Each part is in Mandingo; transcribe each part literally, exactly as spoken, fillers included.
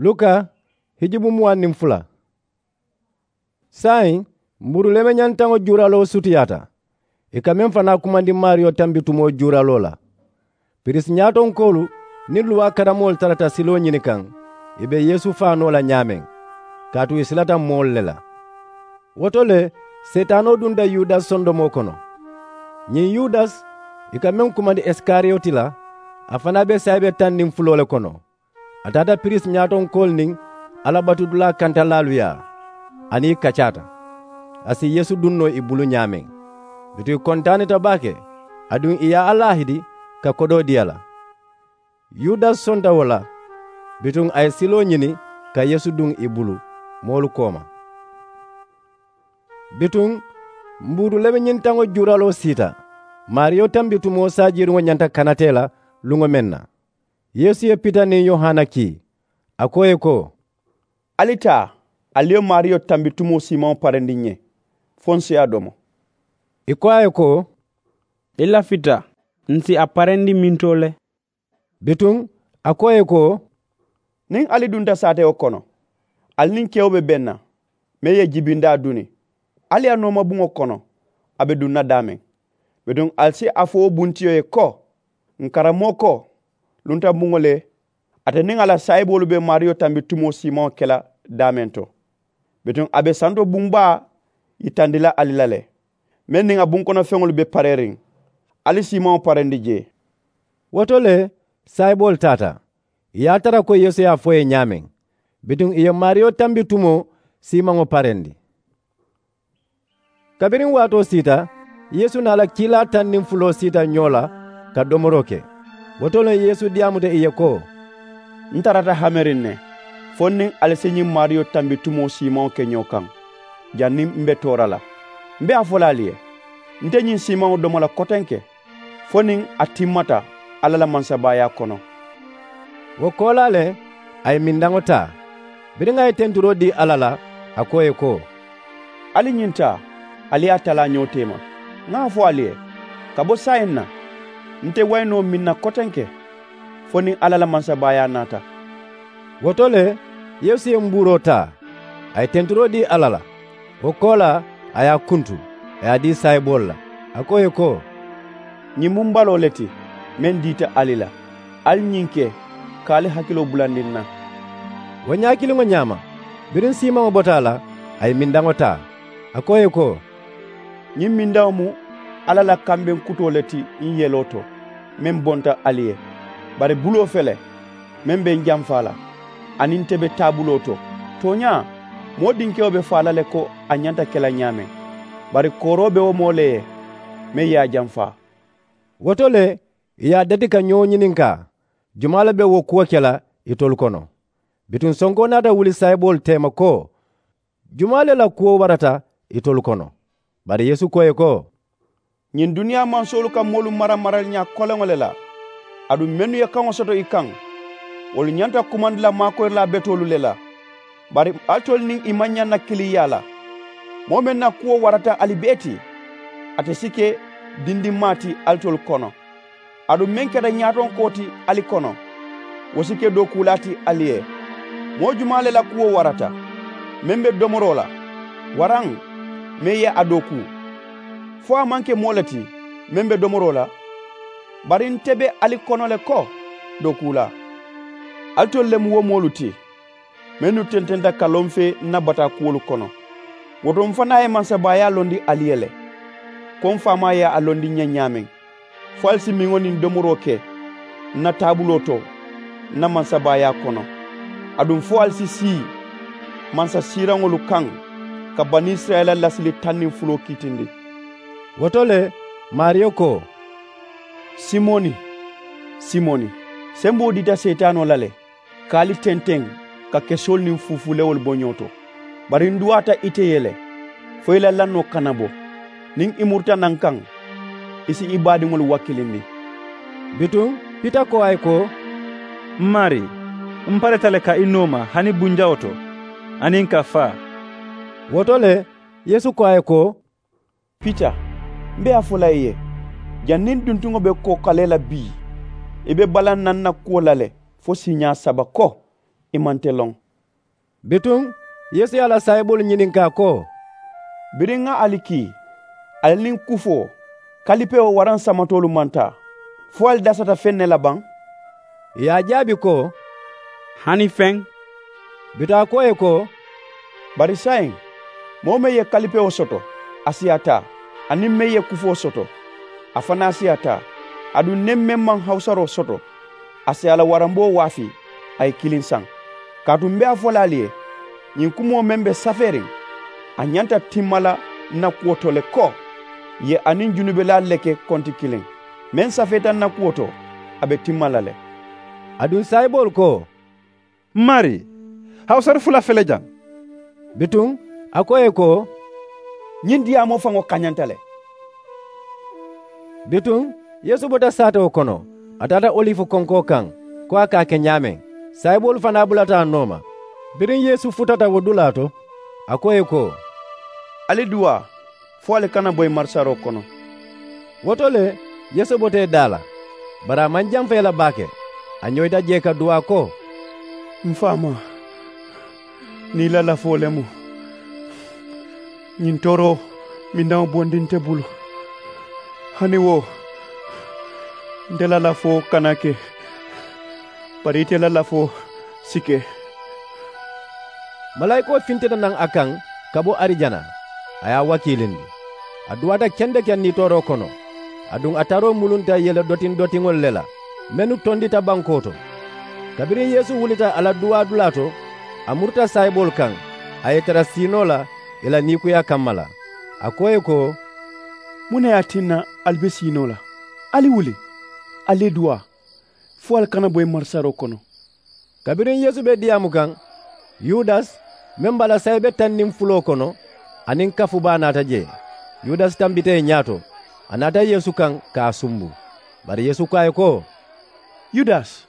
Luka hijubu muwaŋ niŋ fula. Saayiŋ mbuuru lemeñantaŋo juuraloo sutiyaata. Ì ka meŋ fanaa kumandi maariyo tambitumoo juuraloo la. Piriisi ñaatonkoolu niŋ luwaa karamoolu tarata siloo ñini kaŋ ì be yeesu faa noo la ñaameŋ, kaatu ì silata moolu le la. Wo to le seetaanoo dunta yudasi sondomoo kono. Ñiŋ yudasi ì ka meŋ kumandi isikariyoti la, a fanaa be saayibe taŋ niŋ fuloo le kono. A taata piriisi ñaatonkoolu niŋ alla batudulaa kantalaalu yaa, aniŋ ì kacaata. A si yeesu duŋ noo ì bulu ñaameŋ. Bituŋ ì kontaanita baake, aduŋ ì ye a laahidi ka kodoo dii a la. Yudasi sonta wo la. Bituŋ a ye siloo ñini ka yeesu duŋ ì bulu moolu kooma. Bituŋ mbuuru lemeñintaŋo juuraloo siita. Maariyo tambitumoo saajiiriŋo ñanta kanatee la luŋo meŋ na, yeesu ye pita niŋ yohana kii. A ko ì ye ko, ali taa, ali ye maariyo tambitumoo siimaŋo parendi n ye, fo n si a domo. Ì ko a ye ko, i lafita, n si a parendi mintoo le? Bituŋ a ko ì ye ko, niŋ ali dunta saatewo kono, ali niŋ kewo be beŋ na, meŋ ye jibindaa duni, ali ye a nooma buŋo kono a be duŋ na daameŋ. Bituŋ ali si a fo wo buntiyo ye ko, n karammoo ko, lunta buŋo le, ate niŋ a la saayiboolu be maariyo tambitumoo siimaŋo ke la daameŋ to. Bituŋ a be santo buŋ baa yitandi la ali la le, meŋ niŋ a bunkonofeŋolu be pareeriŋ. Ali siimaŋo parendi jee. Wo to le saayiboolu taata, ì ye a tara ko yeesu ye a fo ì ye ñaameŋ. Bituŋ ì ye maariyo tambitumoo siimaŋo parendi. Kabiriŋ waatoo siita, yeesu niŋ a la kiilaa taŋ niŋ fuloo siita ñoo la ka domoroo ke. Wo to le yeesu diyaamuta ì ye ko, n tarata hameriŋ ne, fo n niŋ ali si ñiŋ maariyo tambitumoo siimaŋo ke ñoo kaŋ, janniŋ m be toora la. M be a fo la ali ye, nte ñiŋ siimaŋo domo la kotenke, fo niŋ a timmata alla la mansabaayaa kono. Wo koolaa le, a ye mindaŋo taa. Biriŋ a ye tenturoo dii alla la, a ko ì ye ko, ali ñiŋ taa, ali ye a talaa ñoo teema. Ŋa a fo ali ye, ka bo saayiŋ na, nte wayi noo meŋ na kotenke, fo niŋ alla la mansabaayaa naata. Wo to le, yeesu ye mbuuroo taa, a ye tenturoo dii alla la. Wo koolaa, a ye a kuntu, a ye a dii saayiboolu la, a ko ì ye ko, ñiŋ mu m baloo le ti, meŋ diita ali la. Ali ñiŋ ke, ka ali hakiloo bulandi n na. Wo ñaa kiliŋo ñaama, biriŋ siimaŋo bota a la, a ye mindaŋo taa, a ko ì ye ko, ñiŋ mindaŋo mu alla la kambeŋ kutoo le ti, n yeloo to, meŋ bonta ali ye. Bari buloo fele, meŋ be n jamfaa la, aniŋ nte be taabuloo to. Tooñaa, moo dinkewo be faa la le ko a ñanta ke la ñaameŋ, bari kooroo be wo moo le ye, meŋ ye a jamfaa. Wo to le, ì ye a dati ka ñoo ñininkaa, jumaa le be wo kuwo ke la itolu kono? Bituŋ sonkoo naata wuli saayiboolu teema ko, jumaa le la kuwo warata itolu kono? Bari yeesu ko ì ye ko, ñiŋ duniyaa mansoolu ka moolu mara maraliñaa koleŋo le la. Aduŋ mennu ye kaŋo soto i kaŋ, wolu ñanta kumandi la maakoyilaa betoolu le la. Bari alitolu niŋ i maŋ ñaŋ na kiliŋ yaa la. Moo meŋ na kuwo warata ali bee ti, ate si ke dindinmaa ti alitolu kono. Aduŋ meŋ keta ñaatonkoo ti ali kono, wo si ke dookuulaa ti ali ye. Moo jumaa le la kuwo warata, meŋ be domoroo la, waraŋ meŋ ye a dookuu? Fo a maŋ ke moo le ti meŋ be domoroo la? Bari nte be ali kono le ko, dookuulaa, alitolu le mu wo moolu ti, mennu tententa ka loŋ fee n na bataa kuwolu kono. Wo to m fanaa ye mansabaayaa londi ali ye le, ko m faamaa ye a londi n ye ñaameŋ, fo ali si miŋo niŋ domoroo ke n na taabuloo to n na mansabaayaa kono, aduŋ fo ali si sii mansasiiraŋolu kaŋ ka banisirayila lasili taŋ niŋ fuloo kiitindi. Wo to le, maariyo ko, simoni, simoni, semboo dita seetaanoo la le, ka ali tenteŋ ka kesoolu niŋ fuufuulewolu bo ñoo to. Bari n duwaata ite ye le, fo i la lannoo kana bo. Niŋ i muruta naŋ kaŋ, i si i baadiŋolu wakilindi. Bituŋ pita ko a ye ko, m maarii, m pareta le ka i nooma hani bunjawo to, aniŋ ka faa. Wo to le, yeesu ko a ye ko, pita, m be a fo la i ye, janniŋ duntuŋo be kookalee la bii, i be balaŋ na n na kuwo la le fo siiñaa saba ko, ì maŋ nte loŋ. Bituŋ yeesu ye a la saayiboolu ñininkaa ko, biriŋ ŋa ali kii, ali niŋ kufoo kalipewo waraŋ samatoolu maŋ taa, fo ali dasata feŋ ne la baŋ? Ì ye a jaabi ko, hani feŋ. Bituŋ a ko ì ye ko, bari saayiŋ moo meŋ ye kalipewo soto, a si a taa. Aniŋ meŋ ye kufoo soto, a fanaa si a taa. Aduŋ niŋ meŋ maŋ hawusaroo soto, a si a la waramboo waafi, a ye kiliŋ saŋ. Kaatu m be a fo la ali ye, ñiŋ kumoo meŋ be safeeriŋ, a ñanta timma la n na kuwo to le ko, ì ye a niŋ junubelaalu le ke konti kiliŋ. Meŋ safeeta n na kuwo to, a be timma la le. Aduŋ saayiboolu ko, m maarii, hawusari fula fele jaŋ. Bituŋ a ko ì ye ko, ñiŋ diyaamoo faŋo kañanta le. Bituŋ yeesu bota saatewo kono, a taata olifu konkoo kaŋ, ko a ka a ke ñaameŋ. Saayiboolu fanaa bulata a nooma. Biriŋ yeesu futata wo dulaa to, a ko ì ye ko, ali duwaa, fo ali kana boyi marisaroo kono. Wo to le, yeesu bota ì daa la, bari a maŋ jamfa ì la baake. A ñoyita jee ka duwaa ko, m faamaa, niŋ i la lafoo le mu, ñiŋ tooroo mindaŋo bondi nte bulu. Hani wo, nte la lafoo kana ke, bari ite la lafoo si ke. Malaayikoo fintita naŋ a kaŋ ka bo arijana, a ye a wakiilindi. A duwaata kendekeŋ nitooroo kono. Aduŋ a taroo mulunta yele dotiŋ dotiŋolu le la, mennu tondita bankoo to. Kabiriŋ yeesu wulita a la duwaa dulaa to, a muruta saayiboolu kaŋ, a ye ì tara siinoo la ì la niikuyaa kamma la. A ko ì ye ko, muŋ ne ye a tinna ali be siinoo la? Ali wuli, ali ye duwaa, fo ali kana boyi marisaroo kono. Kabiriŋ yeesu be diyaamu kaŋ, yudasi meŋ be a la saayibe taŋ niŋ fuloo kono, aniŋ kafu baa naata jee. Yudasi tambita ì ñaato, a naata yeesu kaŋ ka a sumbu. Bari yeesu ko a ye ko, yudasi,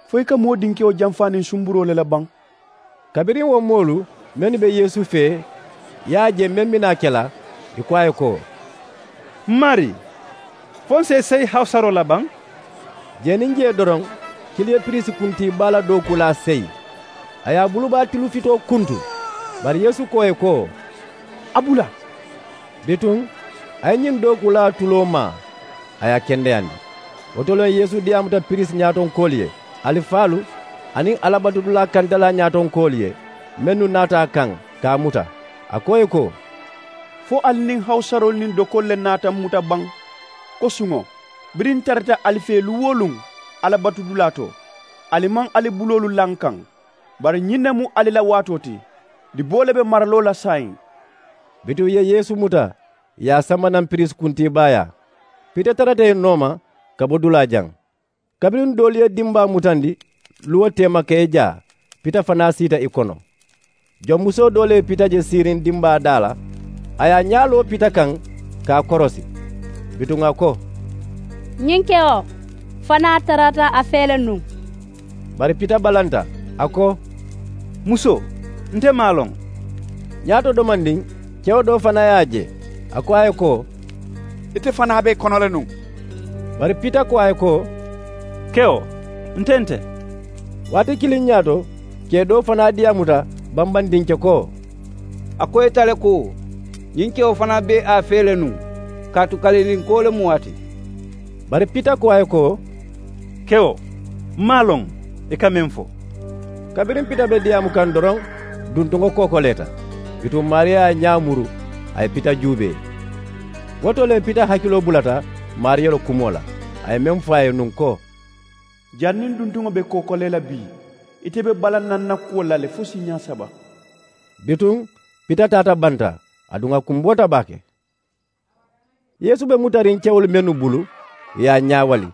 fo i ka moo dinkewo jamfaa niŋ sumburoo le la baŋ? Kabiriŋ wo moolu mennu be yeesu fee ye a je meŋ bi naa ke la, ì ko a ye ko, m maarii, fo n si i seyi hawusaroo la baŋ? Jee niŋ jee doroŋ, kili ye piriisi kuntii baa la dookuulaa seyi. A ye a bulubaa tilufitoo kuntu. Bari yeesu ko ì ye ko, a bula. Bituŋ a ye ñiŋ dookuulaa tuloo maa, a ye a kendeyandi. Wo to le yeesu diyaamuta piriisi ñaatonkoolu ye, alifaalu aniŋ alabatudulaa kantalaa ñaatonkoolu ye, mennu naata a kaŋ ka a muta. A ko ì ye ko, fo ali niŋ hawusaroolu niŋ dokoolu le naata m muta baŋ, ko suŋo biriŋ n tarata ali fee luŋ-wo-luŋ alabatudulaa to, ali maŋ ali buloolu laa n kaŋ? Bari ñiŋ ne mu ali la waatoo ti. Diboo le be maraloo la saayiŋ. Bituŋ ì ye yeesu muta, ì ye a samba naŋ piriisi kuntiibaayaa. Pita tarata ì nooma ka bo dulaa jaŋ. Kabiriŋ doolu ye dimbaa mutandi luwo teema ka ì jaa, pita fanaa siita ì kono. Jonmusoo doo le ye pita je siiriŋ dimbaa daa la, a ye a ñaa loo pita kaŋ ka a korosi. Bituŋ a ko, ñiŋ kewo fanaa tarata a fee le nuŋ. Bari pita balanta, a ko, musoo, nte maŋ a loŋ. Ñaato domandiŋ, kewo doo fanaa ye a je, a ko a ye ko, ite fanaa be ì kono le nuŋ. Bari pita ko a ye ko, kewo, nte nte. Waati kiliŋ ñaato, kee doo fanaa diyaamuta bambandinke ko, a ko ite le ko, ñiŋ kewo fanaa be a fee le nuŋ, kaatu kalilinkoo le mu a ti. Bari pita ko a ye ko, kewo, m maŋ a loŋ ì ka meŋ fo. Kabiriŋ pita be diyaamu kaŋ doroŋ, duntuŋo kookoleeta. Bituŋ maariya ye a ñaa muru, a ye pita juubee. Wo to le pita hakiloo bulata maariya la kumoo la, a ye meŋ fo a ye nuŋ ko, janniŋ duntuŋo be kookolee la bii, ite be balaŋ na n na kuwolu la le fo siiñaa saba. Bituŋ pita taata banta, aduŋ a kumboota baake. Yeesu be mutariŋ kewolu mennu bulu, ì ye a ñaawali,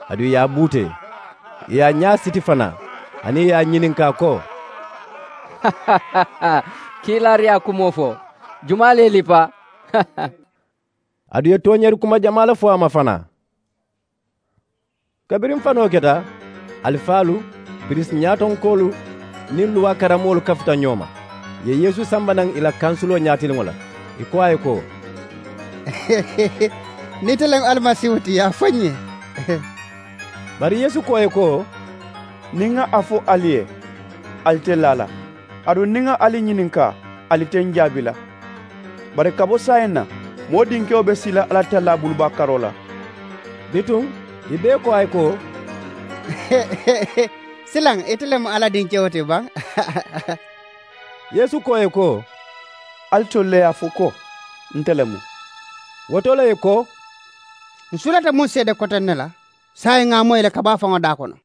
aduŋ ì ye a buutee, ì ye a ñaa siti fanaa, aniŋ ì ye a ñininkaa ko, kiilaariyaa kumoo fo, jumaa le ye lippa? Aduŋ ì ye tooñeeri kuma jamaa le fo a ma fanaa. Kabiriŋ fanoo keta, alifaalu, piriisi ñaatonkoolu niŋ luwaa karammoolu kafuta ñoo ma. Ì ye yeesu samba naŋ ì la kansuloo ñaatiliŋo la, ì ko a ye ko, niŋ ite le mu alimasiihu ti, a fo n ye. Bari yeesu ko ì ye ko, niŋ ŋa a fo ali ye, ali te laa la. Aduŋ niŋ ŋa ali ñininkaa, ali te ǹ jaabi la. Bari ka bo saayiŋ na, moo dinkewo be sii la alla tallaa bulubaa karoo la. Bituŋ ì bee ko a ye ko, silaŋ ite le mu alla dinkewo ti baŋ? Yeesu ko ì ye ko, ali tolu le ye a fo ko, nte le mu. Wo to le ì ko, ǹ sulata muŋ seede koteŋ ne la, saayiŋ ŋa a moyi le ka bo a faŋo daa kono.